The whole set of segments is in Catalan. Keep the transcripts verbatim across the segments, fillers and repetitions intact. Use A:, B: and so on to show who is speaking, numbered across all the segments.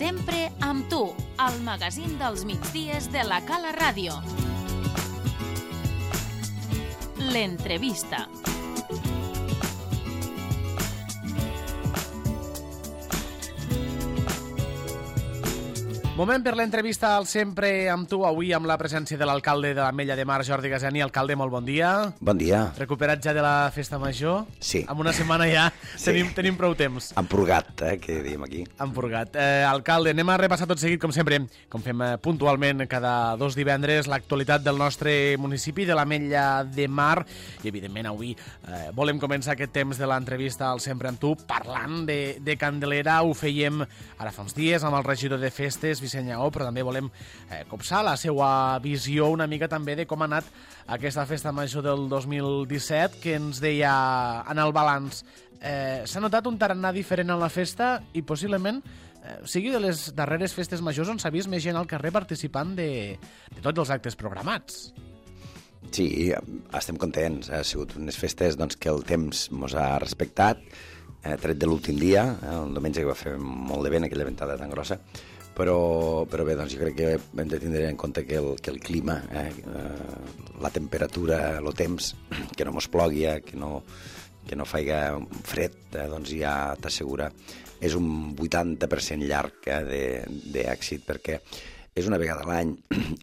A: Sempre amb tu, al magazín dels migdies de la Cala Ràdio. L'entrevista.
B: Moment per l'entrevista al Sempre amb tu, avui amb la presència de l'alcalde de l'Ametlla de Mar, Jordi Gasani. Alcalde, molt bon dia.
C: Bon dia.
B: Recuperat ja de la festa major?
C: Sí.
B: Amb una setmana ja
C: Sí.
B: tenim, tenim prou temps.
C: Empurgat, eh, que diem aquí.
B: Empurgat. Eh, alcalde, anem a repassar tot seguit, com sempre, com fem eh, puntualment cada dos divendres, l'actualitat del nostre municipi, de l'Ametlla de Mar. I, evidentment, avui eh, volem començar aquest temps de l'entrevista al Sempre amb tu parlant de, de Candelera. Ho fèiem ara fa uns dies amb el regidor de festes, Vicent Lleó, però també volem eh, copsar la seva visió una mica també de com ha anat aquesta festa major del dos mil disset, que ens deia en el balanç. Eh, S'ha notat un tarannà diferent en la festa i possiblement eh, sigui de les darreres festes majors on s'ha vist més gent al carrer participant de, de tots els actes programats.
C: Sí, estem contents. Ha sigut unes festes doncs, que el temps ens ha respectat, eh, tret de l'últim dia, eh, un diumenge que va fer molt de vent, aquella ventada tan grossa. Però, però bé, doncs jo crec que hem de tindre en compte que el, que el clima, eh, la temperatura, el temps, que no mos plogui, eh, que no, que no faiga fred, eh, doncs ja t'assegura. És un vuitanta per cent llarg eh, d'èxit, perquè és una vegada a l'any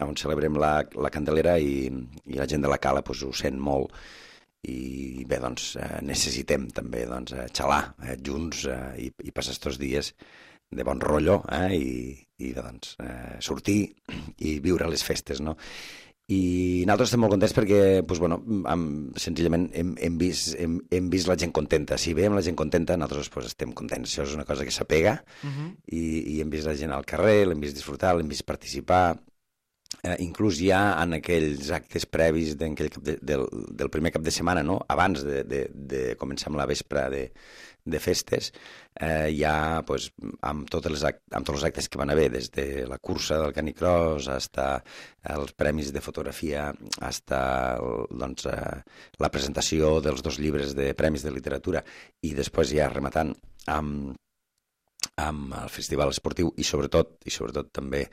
C: on celebrem la, la Candelera i, i la gent de la Cala pues, ho sent molt. I bé, doncs eh, necessitem també doncs, xalar eh, junts eh, i, i passar aquests dies de bon rotllo eh, i, i doncs, eh, sortir i viure les festes, no? I nosaltres estem molt contents perquè doncs, bueno, amb, senzillament hem, hem, vist, hem, hem vist la gent contenta. Si veiem la gent contenta, nosaltres doncs, estem contents. Això és una cosa que s'apega uh-huh. i, i hem vist la gent al carrer, l'hem vist disfrutar, l'hem vist participar. Eh, inclús ja en aquells actes previs de, de, del, del primer cap de setmana, no? Abans de, de, de començar amb la vespre de, de festes, eh, ja pues, amb, totes les act, amb tots els actes que van haver, des de la cursa del canicross fins els premis de fotografia, fins doncs, eh, la presentació dels dos llibres de premis de literatura i després ja rematant amb, amb el festival esportiu i sobretot, i sobretot també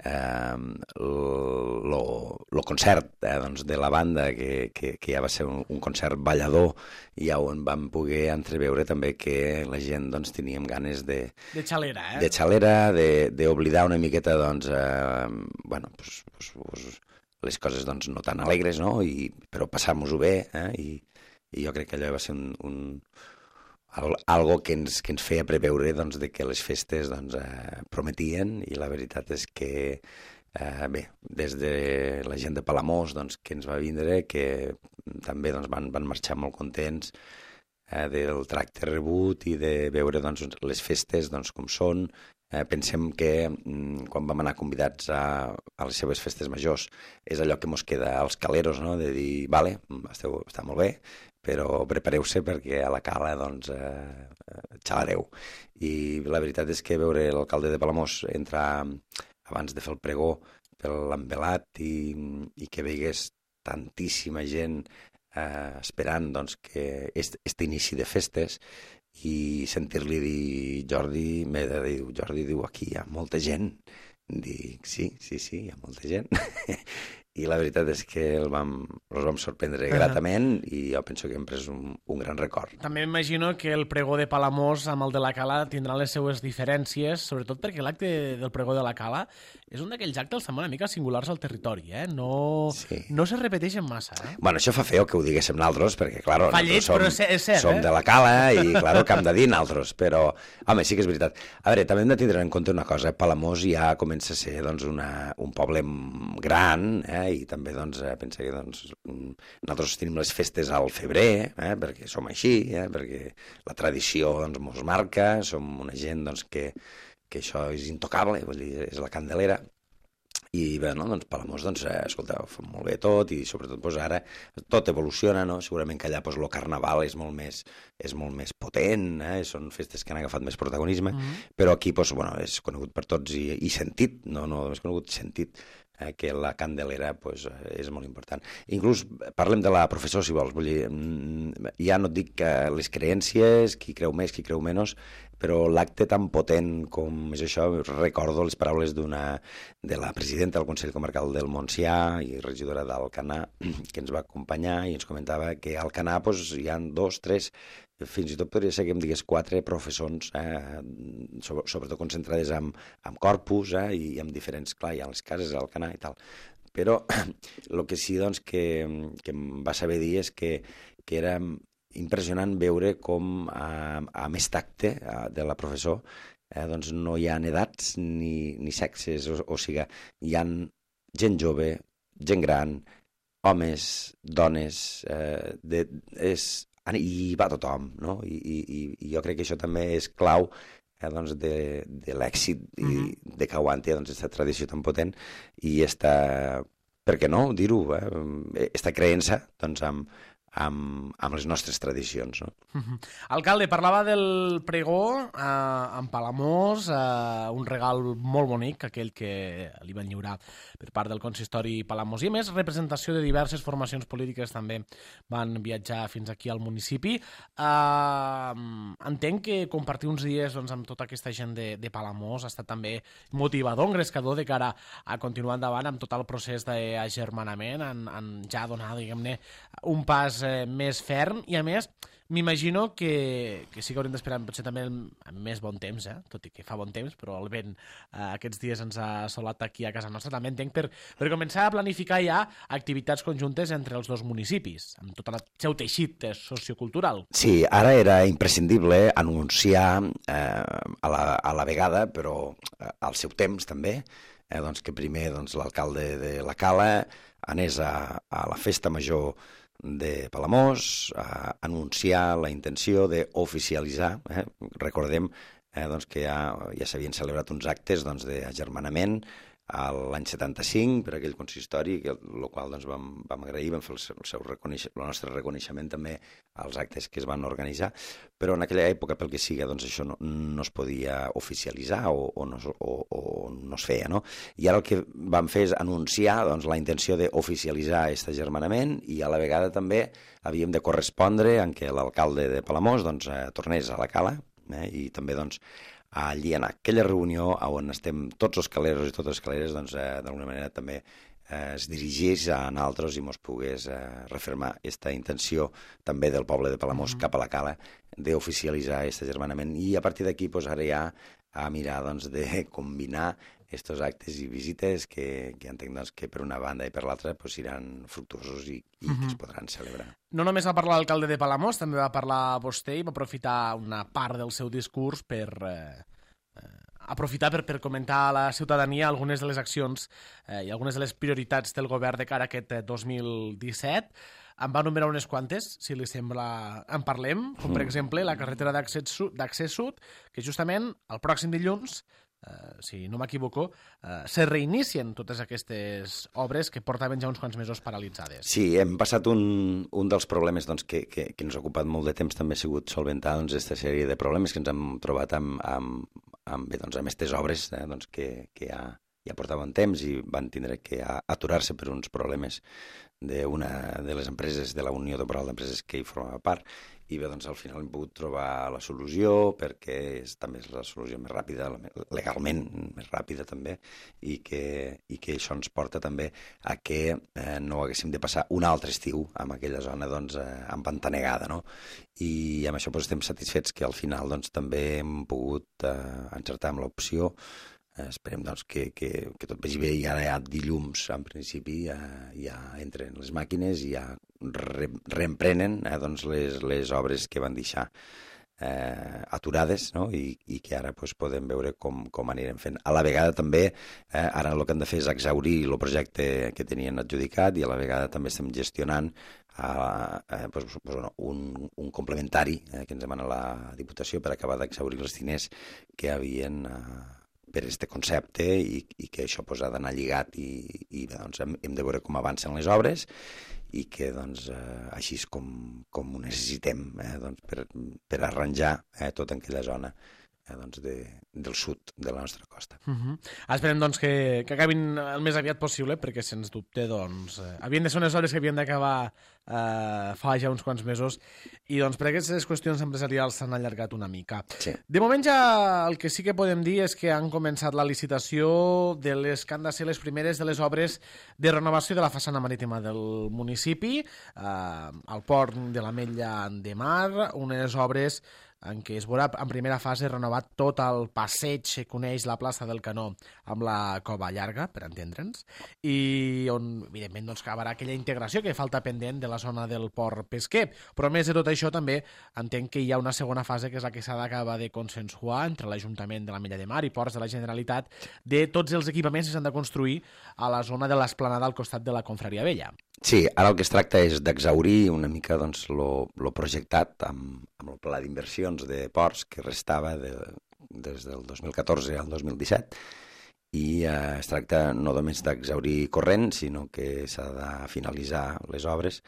C: eh, el concert eh, doncs, de la banda que, que, que ja va ser un, un concert ballador i ja on vam poder entreveure també que la gent doncs, teníem ganes de...
B: De xalera, eh?
C: De xalera, d'oblidar una miqueta doncs, eh, bueno, pues, pues, pues, les coses doncs, no tan alegres, no? I, però passar-nos-ho bé eh? I, i jo crec que allò va ser un... un algo que ens, que ens feia preveure doncs, de que les festes doncs, eh, prometien i la veritat és que eh, bé, des de la gent de Palamós doncs, que ens va vindre, que també doncs, van, van marxar molt contents eh, del tracte rebut i de veure doncs, les festes doncs, com són. Eh, pensem que mm, quan vam anar convidats a, a les seves festes majors és allò que mos queda als caleros, no? De dir, vale, esteu, està molt bé, però prepareu-se perquè a la Cala doncs, eh, xalareu. I la veritat és que veure l'alcalde de Palamós entrar abans de fer el pregó per l'envelat i, i que veigués tantíssima gent eh, esperant doncs, que est, este inici de festes i sentir-li dir Jordi, m'he de dir, Jordi diu aquí hi ha molta gent. Dic, sí, sí, sí, hi ha molta gent. I la veritat és que el vam, els vam sorprendre gratament i jo penso que hem pres un, un gran record.
B: També m'imagino que el pregó de Palamós amb el de la Cala tindrà les seues diferències, sobretot perquè l'acte del pregó de la Cala és un d'aquells actes també una mica singulars al territori, eh? No, sí. no se repeteixen massa, eh?
C: Bueno, això fa feo que ho diguéssim nosaltres, perquè, clar,
B: Fallet,
C: som,
B: és cert,
C: som
B: eh?
C: de la Cala i, clar, que hem de dir nosaltres, però, home, sí que és veritat. A veure, també hem de tindre en compte una cosa, Palamós ja comença a ser, doncs, una, un poble gran, eh? I també doncs, pensa que doncs, nosaltres tenim les festes al febrer, eh? Perquè som així, eh? Perquè la tradició doncs, mos marca, som una gent doncs, que, que això és intocable, vull dir, és la Candelera. I bé, no? doncs Palamós, doncs, eh, escolta, ho fa molt bé tot i sobretot doncs, ara tot evoluciona, no? Segurament que allà doncs, el carnaval és molt més, és molt més potent, eh? Són festes que han agafat més protagonisme, mm-hmm. però aquí doncs, bueno, és conegut per tots i, i sentit, no, no només conegut, sentit eh, que la Candelera pues, és molt important. Inclús parlem de la professor, si vols. Vull dir, ja no et dic que les creences, qui creu més, qui creu menys, però l'acte tan potent com és això, recordo les paraules d'una de la presidenta del Consell Comarcal del Montsià i regidora d'Alcanar, que ens va acompanyar i ens comentava que a Alcanar pues, hi ha dos, tres, fins i tot podria ser que em digués quatre professors, eh, sobretot concentrades en, en corpus eh, i en diferents, clar, hi ha les cases a Alcanar i tal. Però el que sí doncs, que, que em va saber dir és que, que era impressionant veure com a, a més tacte a, de la professor eh, doncs no hi ha edats ni, ni sexes, o, o sigui, hi ha gent jove, gent gran, homes, dones, eh, de, és, i va tothom, no? I, i, I jo crec que això també és clau eh, doncs de, de l'èxit i mm-hmm. de que aguanti doncs, aquesta tradició tan potent i esta, per què no dir-ho, eh, esta creença doncs, amb, amb, amb les nostres tradicions. No?
B: Uh-huh. Alcalde, parlava del pregó eh, en Palamós, eh, un regal molt bonic, aquell que li van lliurar per part del consistori Palamós. I a més, representació de diverses formacions polítiques també van viatjar fins aquí al municipi. Eh, entenc que compartir uns dies doncs, amb tota aquesta gent de, de Palamós ha estat també motivador, engrescador de cara a continuar endavant amb tot el procés d'agermanament, en, en ja donar, diguem-ne, un pas eh, més ferm i a més m'imagino que, que sí que haurem d'esperar potser també amb més bon temps, eh? Tot i que fa bon temps, però el vent eh, aquests dies ens ha assolat aquí a casa nostra. També entenc per, per començar a planificar ja activitats conjuntes entre els dos municipis, amb tot el seu teixit sociocultural.
C: Sí, ara era imprescindible anunciar eh, a, la, a la vegada, però eh, al seu temps també, eh, doncs que primer doncs, l'alcalde de la Cala anés a, a la festa major de Palamós, a anunciar la intenció d'oficialitzar, eh? recordem eh, doncs que ja, ja s'havien celebrat uns actes doncs, d'agermanament l'any setanta-cinc per aquell consistori, que, el qual doncs, vam, vam agrair, vam fer el, seu, el, seu reconeix, el nostre reconeixement també als actes que es van organitzar, però en aquella època, pel que siga, doncs, això no, no es podia oficialitzar o, o, no, o, o no es feia, no? I ara el que vam fer és anunciar doncs, la intenció d'oficialitzar aquest agermanament i a la vegada també havíem de correspondre en què l'alcalde de Palamós doncs, eh, tornés a la Cala eh, i també doncs, allí en aquella reunió on estem tots els caleros i totes les caleres, doncs, eh, d'alguna manera també eh, es dirigís a nosaltres i mos pogués eh, refermar aquesta intenció també del poble de Palamós mm-hmm. cap a la Cala d'oficialitzar aquest agermanament. I a partir d'aquí pues, ara ja a mirar doncs, de combinar estos actes i visites que, que entenc doncs, que per una banda i per l'altra pues, seran fructuosos i, i uh-huh. que es podran celebrar.
B: No només va parlar l'alcalde de Palamós, també va parlar vostè i va aprofitar una part del seu discurs per eh, eh, aprofitar per, per comentar a la ciutadania algunes de les accions eh, i algunes de les prioritats del govern de cara a aquest eh, dos mil disset. Em va enumerar unes quantes, si li sembla, en parlem, com per exemple la carretera d'accés sud, que justament el pròxim dilluns Uh, si no m'equivoco, uh, se reinicien totes aquestes obres que portaven ja uns quants mesos paralitzades.
C: Sí, hem passat un, un dels problemes doncs, que, que, que ens ha ocupat molt de temps, també ha sigut solventar doncs, aquesta sèrie de problemes que ens hem trobat amb, amb, amb, bé, doncs, amb aquestes obres eh, doncs, que, que ja, ja portaven temps i van tindre que aturar-se per uns problemes d'una de les empreses, de la Unió Temporal d'Empreses que hi formava part, i bé, doncs al final hem pogut trobar la solució perquè és, també és la solució més ràpida, legalment més ràpida també, i que, i que això ens porta també a que eh, no haguéssim de passar un altre estiu en aquella zona doncs, eh, empantanegada, no? I amb això doncs, estem satisfets que al final doncs, també hem pogut eh, encertar amb l'opció. Eh, esperem doncs, que, que, que tot vagi bé i ara ja dilluns en principi ja, ja entren les màquines i ja re, reemprenen eh, doncs, les, les obres que van deixar eh, aturades, no? I, i que ara doncs, podem veure com, com anirem fent. A la vegada també eh, ara el que han de fer és exhaurir el projecte que tenien adjudicat i a la vegada també estem gestionant a, eh, doncs, doncs, un, un complementari eh, que ens demana la Diputació per acabar d'exhaurir els diners que havien eh, per aquest concepte i, i que això pues, ha d'anar lligat i, i doncs, hem, hem de veure com avancen les obres i que doncs, eh, així és com, com ho necessitem eh, doncs, per, per arranjar eh, tota aquella zona eh, doncs de, del sud de la nostra costa.
B: Uh -huh. Esperem doncs, que, que acabin el més aviat possible, perquè sens dubte doncs, eh, havien de ser unes obres que havien d'acabar eh, fa ja uns quants mesos, i doncs, per aquestes qüestions empresarials s'han allargat una mica.
C: Sí.
B: De moment ja el que sí que podem dir és que han començat la licitació de les que han de ser les primeres de les obres de renovació de la façana marítima del municipi, eh, al port de l'Ametlla de Mar, unes obres en què es veurà en primera fase renovat tot el passeig que coneix la plaça del Canó amb la Cova Llarga, per entendre'ns, i on, evidentment, doncs, acabarà aquella integració que falta pendent de la zona del port pesquer. Però, a més de tot això, també entenc que hi ha una segona fase, que és la que s'ha d'acabar de consensuar entre l'Ajuntament de l'Ametlla de Mar i Ports de la Generalitat, de tots els equipaments que s'han de construir a la zona de l'esplanada al costat de la Confraria Vella.
C: Sí, ara el que es tracta és d'exhaurir una mica doncs, lo, lo projectat amb, amb el pla d'inversions de ports que restava de, des del dos mil catorze al dos mil disset, i eh, es tracta no només d'exhaurir corrent, sinó que s'ha de finalitzar les obres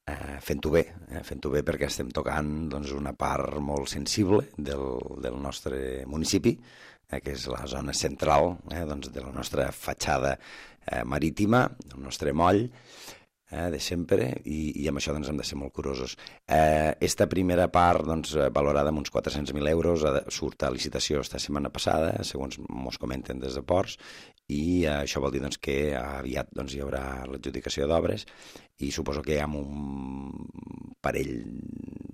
C: eh, fent-ho bé, eh, fent-ho bé perquè estem tocant doncs, una part molt sensible del, del nostre municipi, eh, que és la zona central eh, doncs, de la nostra fatxada eh, marítima, el nostre moll, Eh, de sempre, i, i amb això doncs, hem de ser molt curosos. Eh, esta primera part, doncs, valorada amb uns quatre-cents mil euros, surt a licitació esta setmana passada, segons mos comenten des de Ports, i eh, això vol dir doncs, que aviat doncs, hi haurà l'adjudicació d'obres, i suposo que amb un parell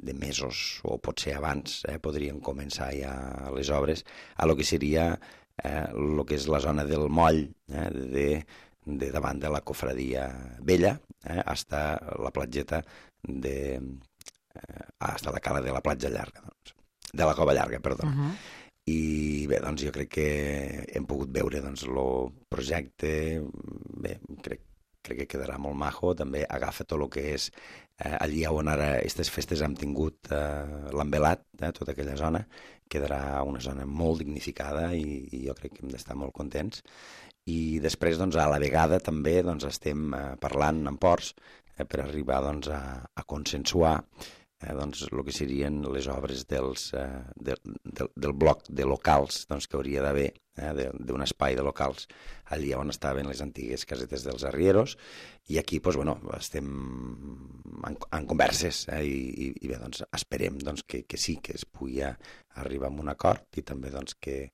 C: de mesos, o potser abans, eh, podrien començar ja les obres a lo que seria eh, lo que és la zona del moll, eh, de de davant de la Cofradia Vella, eh, hasta la platgeta de... Eh, hasta la cala de la platja llarga, doncs, de la Cova Llarga, perdó. Uh -huh. I bé, doncs jo crec que hem pogut veure doncs el projecte, bé, crec, crec que quedarà molt majo, també agafa tot el que és eh, allí on ara aquestes festes hem tingut eh, l'envelat, eh, tota aquella zona, quedarà una zona molt dignificada, i, i jo crec que hem d'estar molt contents. I després, doncs, a la vegada també doncs, estem eh, parlant amb Ports eh, per arribar doncs, a, a consensuar eh, doncs, el que serien les obres dels, eh, de, de, del bloc de locals doncs, que hauria d'haver, eh, d'un espai de locals allà on estaven les antigues casetes dels arrieros, i aquí doncs, bueno, estem en, en converses eh, i, i bé, doncs, esperem doncs, que, que sí, que es pugui arribar a un acord, i també doncs, que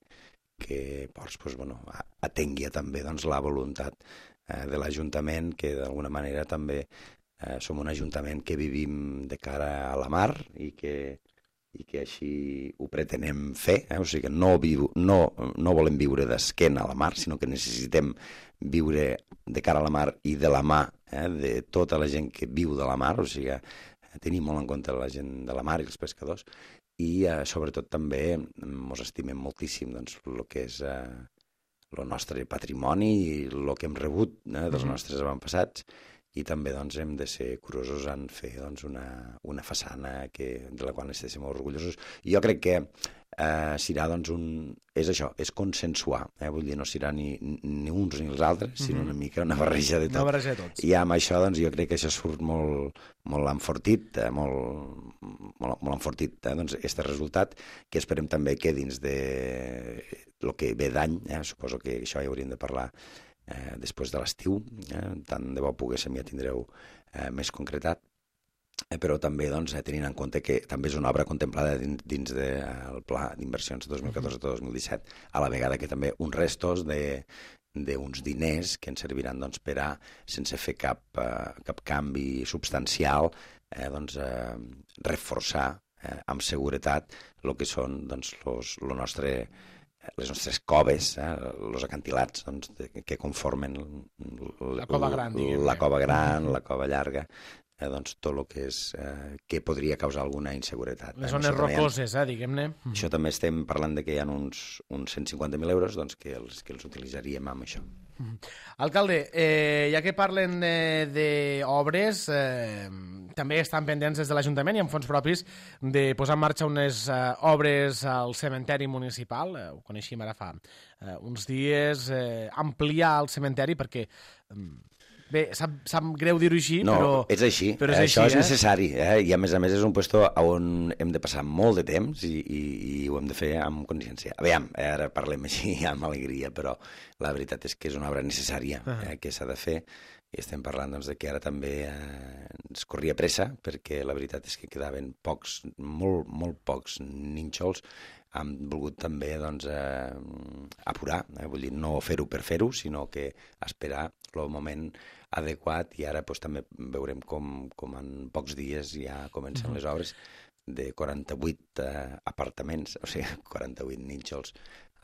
C: que Ports doncs, bueno, atengui també doncs, la voluntat eh, de l'Ajuntament, que d'alguna manera també eh, som un ajuntament que vivim de cara a la mar, i que, i que així ho pretenem fer, eh? O sigui que no, viu, no, no volem viure d'esquena a la mar, sinó que necessitem viure de cara a la mar i de la mà eh, de tota la gent que viu de la mar, o sigui que tenim molt en compte la gent de la mar i els pescadors, i eh, sobretot també ens estimem moltíssim doncs, el que és eh, el nostre patrimoni i el que hem rebut eh, dels nostres avantpassats, i també doncs, hem de ser curosos en fer doncs, una, una façana que, de la qual estiguem molt orgullosos. I jo crec que eh, serà doncs, un... és això, és consensuar, eh? Vull dir, no serà ni, ni uns ni els altres, sinó una mica una barreja de tot.
B: Una barreja de tots.
C: I amb això doncs, jo crec que això surt molt, molt enfortit, eh? molt, molt, molt enfortit eh? doncs, este resultat, que esperem també que dins de el que ve d'any, eh? Suposo que això hi hauríem de parlar eh, després de l'estiu, eh? Tant de bo poguéssim ja tindreu eh, més concretat, eh, però també doncs, eh, tenint en compte que també és una obra contemplada dins, dins del de, pla d'inversions dos mil catorze dos mil disset, a la vegada que també uns restos de d'uns diners que ens serviran doncs, per a, sense fer cap, eh, cap canvi substancial, eh, doncs, eh, reforçar eh, amb seguretat el que són doncs, los, lo nostre, les nostres coves, eh, els acantilats doncs, de, que conformen
B: la cova gran, diguem-ne.
C: La cova gran, la cova llarga, eh, doncs, tot el que és eh, que podria causar alguna inseguretat.
B: Les zones rocoses, eh, diguem-ne.
C: Això també estem parlant de que hi ha uns, uns cent cinquanta mil euros doncs, que, els, que els utilitzaríem amb això.
B: Alcalde, eh, ja que parlen d'obres, eh, també estan pendents des de l'Ajuntament i amb fons propis de posar en marxa unes eh, obres al cementeri municipal, eh, ho coneixíem ara fa eh, uns dies, eh, ampliar el cementeri perquè... Eh, Bé, sap, sap greu dir-ho així,
C: no,
B: però...
C: és així.
B: Però és
C: Això
B: així,
C: és
B: eh?
C: necessari. Eh? I a més a més és un puesto on hem de passar molt de temps i, i, i ho hem de fer amb consciència. Aviam, ara parlem així amb alegria, però la veritat és que és una obra necessària eh, que s'ha de fer. I estem parlant doncs, de que ara també eh, ens corria pressa, perquè la veritat és que quedaven pocs, molt, molt pocs nínxols. Hem volgut també doncs, eh, apurar, eh, vull dir, no fer-ho per fer-ho, sinó que esperar el moment adequat, i ara doncs, també veurem com, com en pocs dies ja comencen uh-huh. les obres de quaranta-vuit eh, apartaments, o sigui, quaranta-vuit nínxols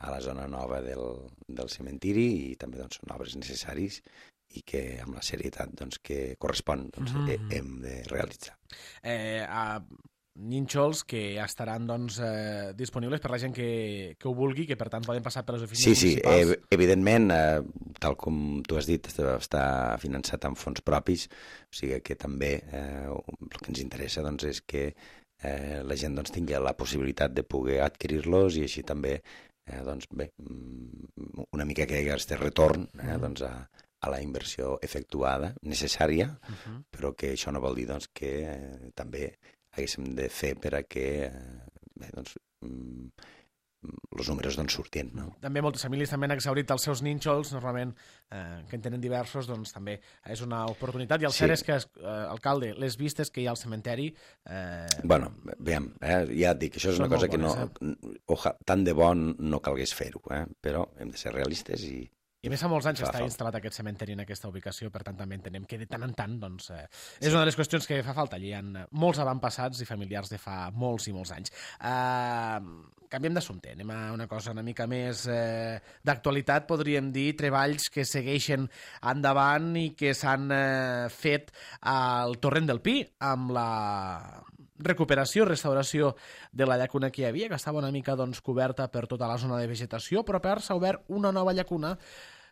C: a la zona nova del, del cementiri, i també doncs, són obres necessaris i que amb la serietat doncs, que correspon doncs, mm-hmm. hem de realitzar.
B: Eh, a nínxols que ja estaran doncs, eh, disponibles per la gent que, que ho vulgui, que per tant poden passar per les oficines
C: sí,
B: municipals.
C: Sí, sí, evidentment, eh, tal com tu has dit, està finançat amb fons propis, o sigui que també eh, el que ens interessa doncs, és que eh, la gent doncs, tingui la possibilitat de poder adquirir-los, i així també eh, doncs, bé, una mica que hi hagi aquest retorn eh, doncs, a a la inversió efectuada, necessària, uh-huh. però que això no vol dir doncs, que eh, també haguéssim de fer per a que eh, bé, doncs, mm, els números doncs, surtin. No?
B: També moltes famílies també han exhaurit els seus nínxols, normalment, eh, que en tenen diversos, doncs també és una oportunitat. I el sí. cert és que, eh, alcalde, les vistes que hi ha al cementeri... Eh...
C: Bueno, veiem, eh, ja et dic, això és una cosa que no... Eh? Oja, tant de bon no calgués fer-ho, eh? Però hem de ser realistes i...
B: I a més fa molts anys que està instal·lat aquest cementeri en aquesta ubicació, per tant també entenem que de tant en tant doncs, eh, és una de les qüestions que fa falta. Allí hi ha molts avantpassats i familiars de fa molts i molts anys. Uh, canviem d'assumpte, anem a una cosa una mica més eh, d'actualitat, podríem dir, treballs que segueixen endavant i que s'han eh, fet al Torrent del Pi, amb la recuperació, restauració de la llacuna que hi havia, que estava una mica doncs, coberta per tota la zona de vegetació, però per s'ha obert una nova llacuna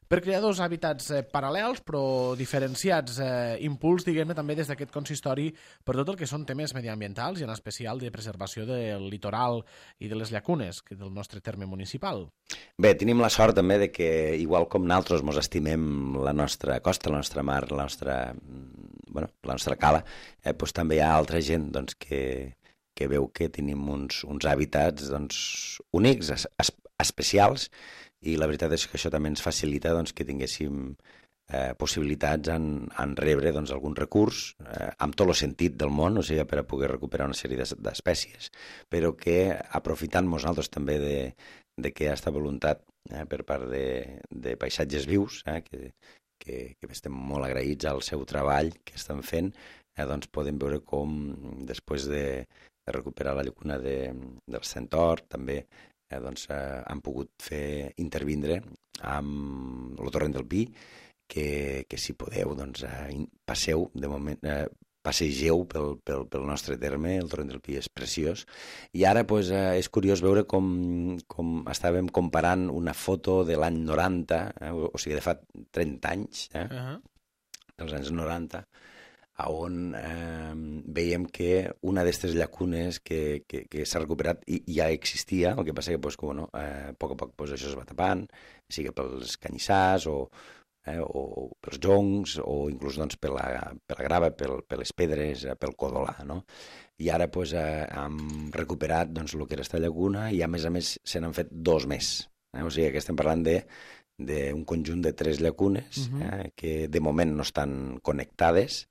B: per crear dos hàbitats eh, paral·lels però diferenciats, eh, impuls, diguem-ne, també des d'aquest consistori per tot el que són temes mediambientals i en especial de preservació del litoral i de les llacunes que del nostre terme municipal.
C: Bé, tenim la sort també de que, igual com nosaltres mos estimem la nostra costa, la nostra mar, la nostra, bueno, la nostra cala, eh, doncs també hi ha altra gent doncs, que, que veu que tenim uns, uns hàbitats doncs, únics, es, es, especials, i la veritat és que això també ens facilita doncs, que tinguéssim eh, possibilitats en, en rebre doncs, algun recurs eh, amb tot el sentit del món, o sigui, per a poder recuperar una sèrie d'espècies, però que aprofitant-nos nosaltres també de, de que hi ha aquesta voluntat eh, per part de, de paisatges vius, eh, que, que, que estem molt agraïts al seu treball que estan fent, eh, doncs podem veure com després de, de recuperar la llacuna de, del Centor, també Eh, doncs, eh, han pogut fer intervindre amb el Torrent del Pi, que, que si podeu, doncs, eh, passeu, de moment, eh, passegeu pel, pel, pel nostre terme, el Torrent del Pi és preciós, i ara pues, eh, és curiós veure com, com estàvem comparant una foto de l'any noranta, eh, o, o sigui, de fa trenta anys, eh, uh-huh. dels anys noranta, on eh, veiem que una d'aquestes llacunes que, que, que s'ha recuperat i, i ja existia, el que passa que pues, que, bueno, eh, a poc a poc pues, això es va tapant, sigui pels canyissars o, eh, o pels joncs o inclús doncs, per, la, per la grava, pel, per les pedres, eh, pel codolà, no? I ara pues, eh, hem recuperat doncs, el que era aquesta llacuna i a més a més se n'han fet dos més. Eh? O sigui que estem parlant de d'un conjunt de tres llacunes uh-huh. eh, que de moment no estan connectades,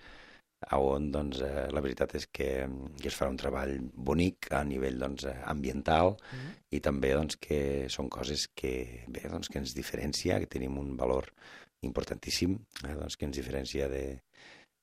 C: on doncs, eh, la veritat és que, que es farà un treball bonic a nivell doncs, ambiental mm. i també doncs, que són coses que, bé, doncs, que ens diferencia, que tenim un valor importantíssim, eh, doncs, que ens diferencia de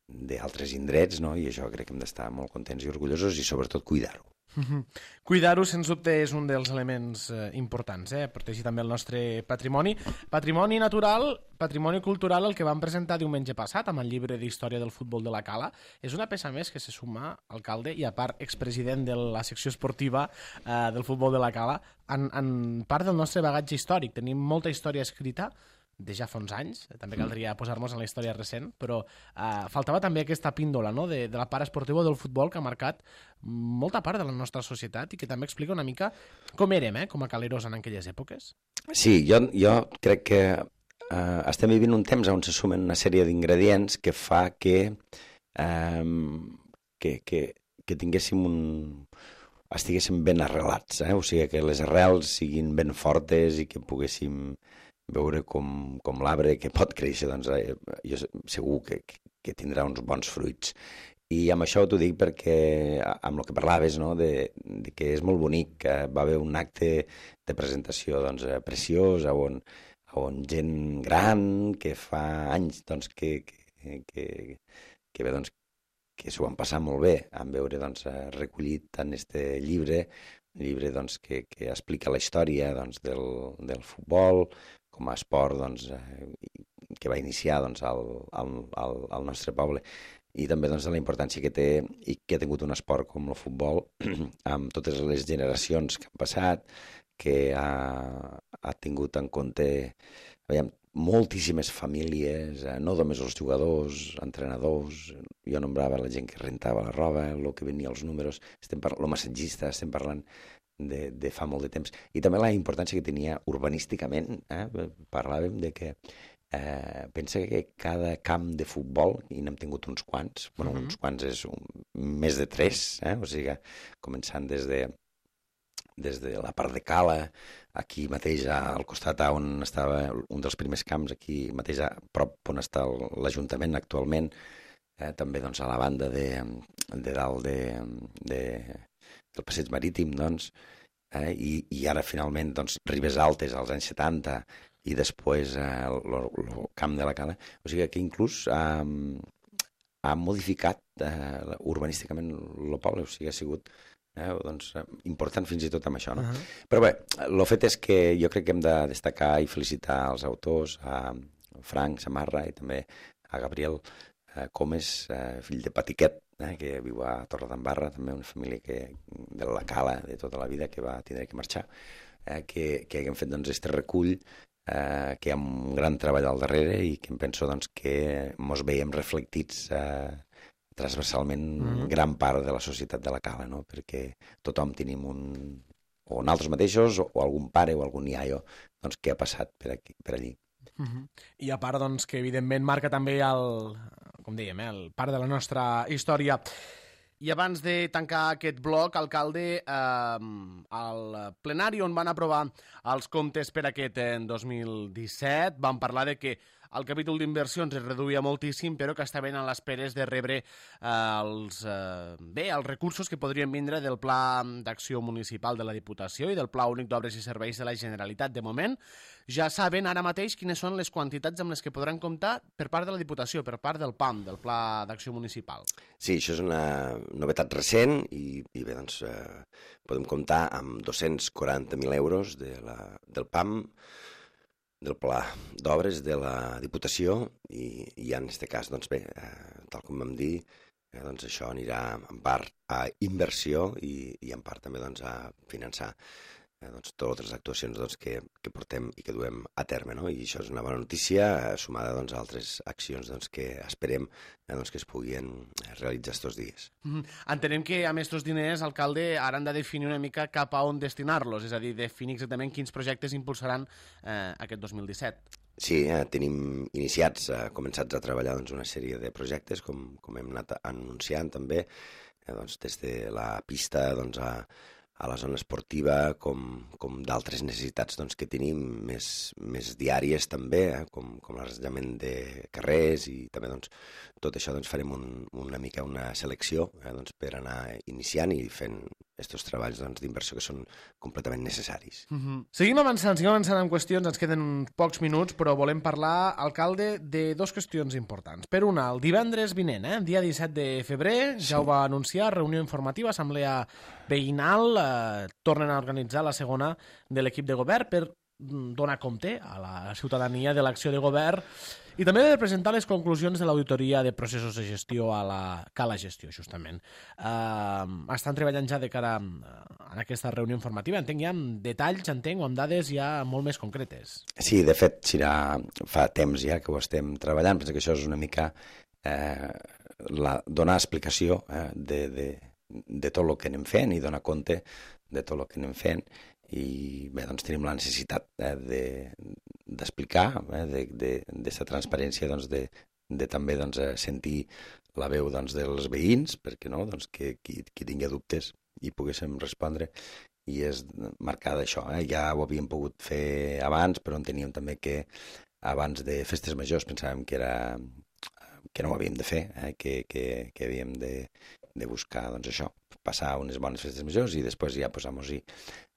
C: d'altres indrets, no? I això crec que hem d'estar molt contents i orgullosos i sobretot cuidar-ho.
B: Mm-hmm. Cuidar-ho, sens dubte, és un dels elements eh, importants, eh? Protegir també el nostre patrimoni. Patrimoni natural, patrimoni cultural, el que vam presentar diumenge passat amb el llibre d'història del futbol de la Cala. És una peça més que se suma, alcalde, i a part expresident de la secció esportiva eh, del futbol de la Cala, en, en part del nostre bagatge històric. Tenim molta història escrita, de ja fa uns anys, també caldria posar-nos en la història recent, però eh, faltava també aquesta píndola, no?, de, de la part esportiva del futbol que ha marcat molta part de la nostra societat i que també explica una mica com érem, eh, com a caleros en aquelles èpoques.
C: Sí, jo, jo crec que eh, estem vivint un temps on se sumen una sèrie d'ingredients que fa que, eh, que, que, que tinguéssim un... estiguéssim ben arrelats, eh? O sigui, que les arrels siguin ben fortes i que poguéssim veure com, com l'arbre que pot créixer, doncs eh, jo segur que, que tindrà uns bons fruits. I amb això t'ho dic perquè, amb el que parlaves, no? de, de que és molt bonic, que va haver un acte de presentació doncs, preciós, on, on gent gran, que fa anys doncs, que, que, que, que bé, doncs, que s'ho van passar molt bé en veure doncs, recollit en este llibre, un llibre doncs, que, que explica la història doncs, del, del futbol com a esport doncs, que va iniciar doncs, al, al, al, al nostre poble, i també doncs, de la importància que té i que ha tingut un esport com el futbol amb totes les generacions que han passat, que ha, ha tingut en compte veiem, moltíssimes famílies, eh, no només els jugadors, entrenadors, jo nombrava la gent que rentava la roba, el que venia als números, estem parlant, el massatgista, estem parlant de, de fa molt de temps. I també la importància que tenia urbanísticament, eh? Parlàvem de que Eh, pensa que cada camp de futbol, i n'hem tingut uns quants, bueno, uh-huh. uns quants és un, més de tres, eh? O sigui, començant des de, des de la part de Cala, aquí mateix al costat on estava un dels primers camps, aquí mateix a prop on està l'Ajuntament actualment, eh? També doncs, a la banda de, de dalt de, de, del Passeig Marítim, doncs, eh? I, i ara finalment doncs, Ribes Altes als anys setanta, i després eh, el camp de la Cala. O sigui que inclús eh, ha modificat eh, urbanísticament el poble, o sigui, ha sigut eh, doncs, important fins i tot amb això. No? Uh-huh. Però bé, el fet és que jo crec que hem de destacar i felicitar els autors, a Frank Samarra i també a Gabriel eh, Comes, eh, fill de Patiquet, eh, que viu a Torredembarra, també una família que, de la Cala de tota la vida, que va tindre que marxar, eh, que, que haguem fet doncs, este recull Eh, que hi ha un gran treball al darrere i que em penso doncs, que mos veiem reflectits eh, transversalment mm-hmm. gran part de la societat de la Cala, no? Perquè tothom tenim un, o nosaltres mateixos, o, o algun pare o algun iaio doncs, que ha passat per, aquí, per allí.
B: Mm-hmm. I a part doncs, que evidentment marca també el, com dèiem, eh, el part de la nostra història. I abans de tancar aquest bloc, alcalde, eh, al plenari on van aprovar els comptes per aquest eh, dos mil disset, van parlar de que el capítol d'inversions es reduïa moltíssim, però que estaven a l'espera de rebre eh, els, eh, bé, els recursos que podrien vindre del Pla d'Acció Municipal de la Diputació i del Pla Únic d'Obres i Serveis de la Generalitat. De moment, ja saben ara mateix quines són les quantitats amb les que podran comptar per part de la Diputació, per part del P A M, del Pla d'Acció Municipal.
C: Sí, això és una novetat recent i, i bé, doncs, eh, podem comptar amb dos-cents quaranta mil euros de la, del P A M, del Pla d'Obres de la Diputació i, i en aquest cas, doncs bé, eh, tal com vam dir, eh, doncs això anirà en part a inversió i, i en part també doncs, a finançar eh, doncs, totes les actuacions doncs, que, que portem i que duem a terme, no? I això és una bona notícia, eh, sumada doncs, a altres accions doncs, que esperem eh, doncs, que es puguin realitzar estos dies.
B: Mm-hmm. Entenem que amb aquests diners, alcalde, ara han de definir una mica cap a on destinar-los, és a dir, definir exactament quins projectes impulsaran eh, aquest dos mil disset.
C: Sí, eh, tenim iniciats, eh, començats a treballar doncs, una sèrie de projectes, com, com hem anat anunciant també, eh, doncs, des de la pista doncs, a a la zona esportiva, com, com d'altres necessitats doncs, que tenim més, més diàries també, eh, com, com l'arranjament de carrers i també doncs, tot això doncs, farem un, una mica una selecció eh, doncs, per anar iniciant i fent aquests treballs doncs, d'inversió que són completament necessaris.
B: Mm-hmm. Seguim avançant, seguim avançant en qüestions, ens queden pocs minuts, però volem parlar, alcalde, de dues qüestions importants. Per una, el divendres vinent, eh, dia disset de febrer, ja sí. Ho va anunciar, reunió informativa, assemblea veïnal, eh, tornen a organitzar la segona de l'equip de govern per donar compte a la ciutadania de l'acció de govern i també de presentar les conclusions de l'auditoria de processos de gestió a la Cala Gestió, justament. Eh, estan treballant ja de cara a aquesta reunió informativa, entenc ja amb detalls, entenc, o amb dades ja molt més concretes.
C: Sí, de fet, Xirà, fa temps ja que ho estem treballant, penso que això és una mica eh, la, donar explicació eh, de, de, de tot el que anem fent i donar compte de tot el que anem fent i bé, doncs tenim la necessitat eh, de, d'explicar, eh, d'aquesta de, transparència, doncs, de, de també doncs, sentir la veu doncs, dels veïns, perquè no, doncs, que qui, qui tingui dubtes hi poguéssim respondre, i és marcar d'això. Eh? Ja ho havíem pogut fer abans, però enteníem també que abans de festes majors pensàvem que era que no ho havíem de fer, eh? que, que, que havíem de, de buscar doncs, això, passar unes bones festes majors i després ja posar-nos-hi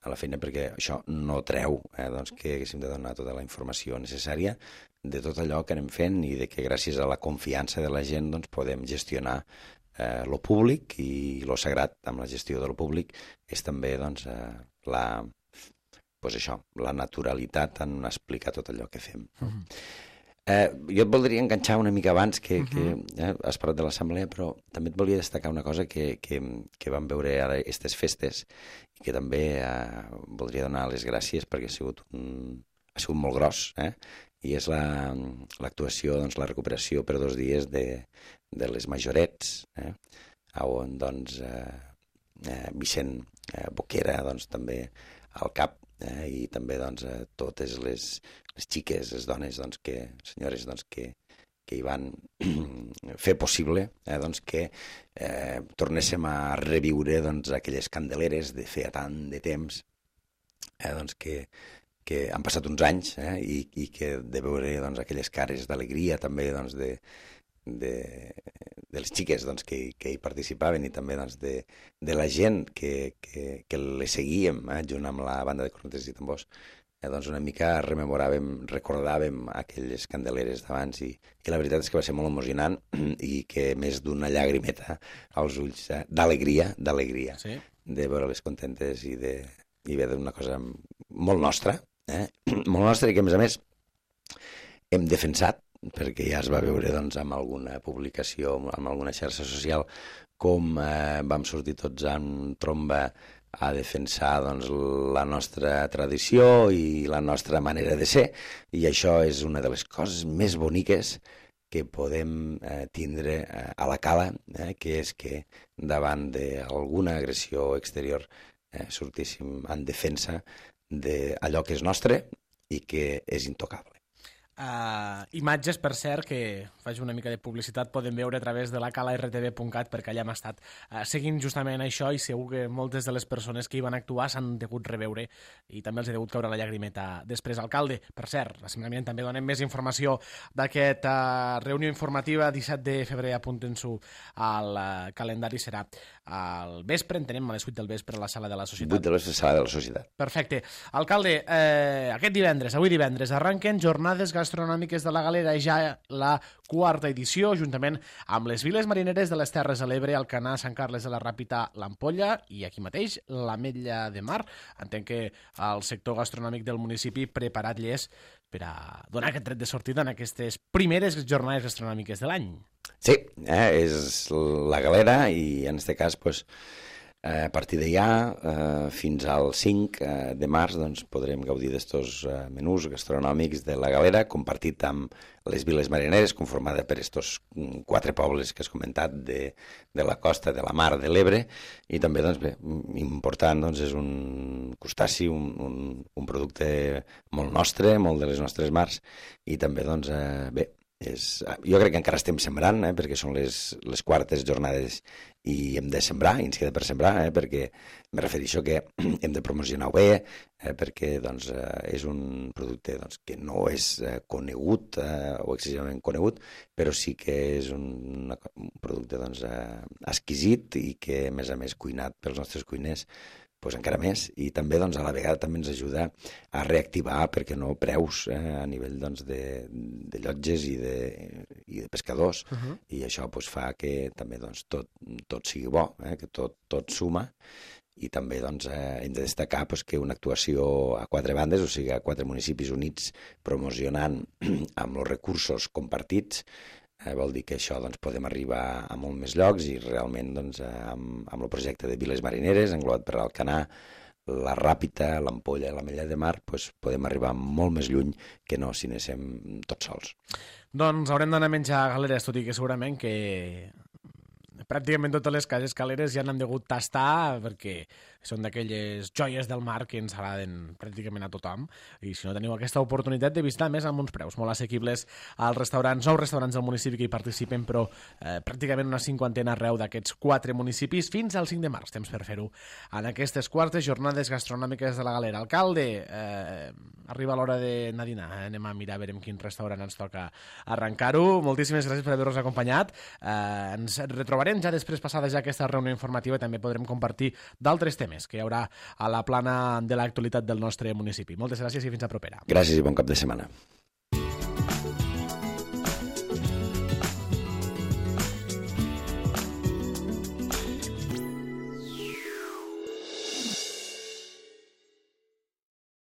C: a la feina, perquè això no treu eh, doncs, que haguéssim de donar tota la informació necessària de tot allò que anem fent i de que gràcies a la confiança de la gent doncs, podem gestionar eh, lo públic, i lo sagrat amb la gestió de lo públic és també doncs, eh, la, pues això, la naturalitat en explicar tot allò que fem. Mm-hmm. Eh, jo et voldria enganxar una mica abans que, uh-huh. que eh, has parlat de l'assemblea, però també et volia destacar una cosa que, que, que vam veure ara aquestes festes i que també eh, voldria donar les gràcies perquè ha sigut, un, ha sigut molt gros, eh? I és la, l'actuació, doncs, la recuperació per dos dies de, de les majorets, eh? On doncs, eh, eh, Vicent eh, Boquera doncs, també al cap, eh? I també doncs, eh, totes les les xiques, les dones, doncs, que, senyores doncs, que, que hi van fer possible eh, doncs, que eh, tornéssim a reviure doncs, aquelles candeleres de feia tant de temps eh, doncs, que, que han passat uns anys eh, i, i que de veure doncs, aquelles cares d'alegria també doncs, de, de, de les xiques doncs, que, que hi participaven i també doncs, de, de la gent que, que, que les seguíem eh, junt amb la banda de cornetes i tambors. Eh, doncs una mica rememoràvem, recordàvem aquelles candeleres d'abans i, i la veritat és que va ser molt emocionant i que més d'una llagrimeta als ulls eh, d'alegria, d'alegria, sí. De veure-les contentes i, de, i bé d'una cosa molt nostra, eh? molt nostra i que a més a més hem defensat, perquè ja es va veure doncs, amb alguna publicació, amb alguna xarxa social, com eh, vam sortir tots en tromba a defensar doncs, la nostra tradició i la nostra manera de ser, i això és una de les coses més boniques que podem eh, tindre eh, a la cala, eh, que és que davant d'alguna agressió exterior eh, sortíssim en defensa d'allò que és nostre i que és intocable.
B: Uh, imatges, per cert, que faig una mica de publicitat, poden veure a través de la cala r t v punt cat, perquè allà hem estat uh, seguint justament això i segur que moltes de les persones que hi van actuar s'han degut reveure i també els ha degut caure la llagrimeta després. Alcalde, per cert, la setmana vinent també donem més informació d'aquesta uh, reunió informativa, disset de febrer, apunten-s'ho al uh, calendari, serà al vespre, entenem, a les vuit del vespre a la sala de la Societat.
C: vuit de la sala de la Societat.
B: Perfecte. Alcalde, eh, aquest divendres, avui divendres, arranquen jornades gastronòmiques de la Galera, ja la quarta edició, juntament amb les viles marineres de les Terres de l'Ebre, Alcanar, Sant Carles de la Ràpita, l'Ampolla i aquí mateix l'Ametlla de Mar. Entenc que el sector gastronòmic del municipi preparat llest per a donar aquest tret de sortida en aquestes primeres jornades gastronòmiques de l'any.
C: Sí, eh, és la Galera i en aquest cas pues, a partir d'allà eh, fins al cinc de març doncs, podrem gaudir d'estos eh, menús gastronòmics de la Galera, compartit amb les viles marineres, conformada per estos quatre pobles que has comentat de, de la costa, de la mar, de l'Ebre, i també, doncs, bé, important, doncs, és un crustaci, un, un, un producte molt nostre, molt de les nostres mars, i també, doncs, eh, bé, és, jo crec que encara estem sembrant, eh, perquè són les, les quartes jornades i hem de sembrar, i ens queda per sembrar, eh, perquè me refereixo que hem de promocionar-ho bé, eh, perquè doncs, eh, és un producte doncs, que no és eh, conegut eh, o excessivament conegut, però sí que és un, un producte doncs, eh, exquisit i que, a més a més, cuinat pels nostres cuiners, pues encara més, i també doncs, a la vegada també ens ajuda a reactivar, perquè no, preus eh, a nivell doncs, de, de llotges i de, i de pescadors, uh-huh. I això pues, fa que també doncs, tot, tot sigui bo, eh, que tot, tot suma, i també doncs, eh, hem de destacar pues, que una actuació a quatre bandes, o sigui, a quatre municipis units promocionant amb els recursos compartits, Eh, vol dir que això doncs, podem arribar a molt més llocs i realment doncs, amb, amb el projecte de Viles Marineres, englobat per l'Alcanar, la Ràpita, l'Ampolla i l'Ametlla de Mar, doncs, podem arribar molt més lluny que no si anéssim tots sols.
B: Doncs haurem d'anar a menjar galeres, tot i que segurament que pràcticament totes les cases caleres ja n'han degut tastar perquè són d'aquelles joies del mar que ens agraden pràcticament a tothom, i si no teniu aquesta oportunitat de visitar, més amb uns preus molt assequibles als restaurants, nou restaurants del municipi que hi participen, però eh, pràcticament una cinquantena arreu d'aquests quatre municipis fins al cinc de març, temps per fer-ho en aquestes quartes jornades gastronòmiques de la Galera. Alcalde, eh, arriba l'hora d'anar a dinar, eh? Anem a mirar a veure en quin restaurant ens toca arrencar-ho. Moltíssimes gràcies per haver-nos acompanyat. Eh, ens retrobarem ja després passada ja aquesta reunió informativa i també podrem compartir d'altres temes que hi haurà a la plana de l'actualitat del nostre municipi. Moltes gràcies i fins a propera.
C: Gràcies i bon cap de setmana.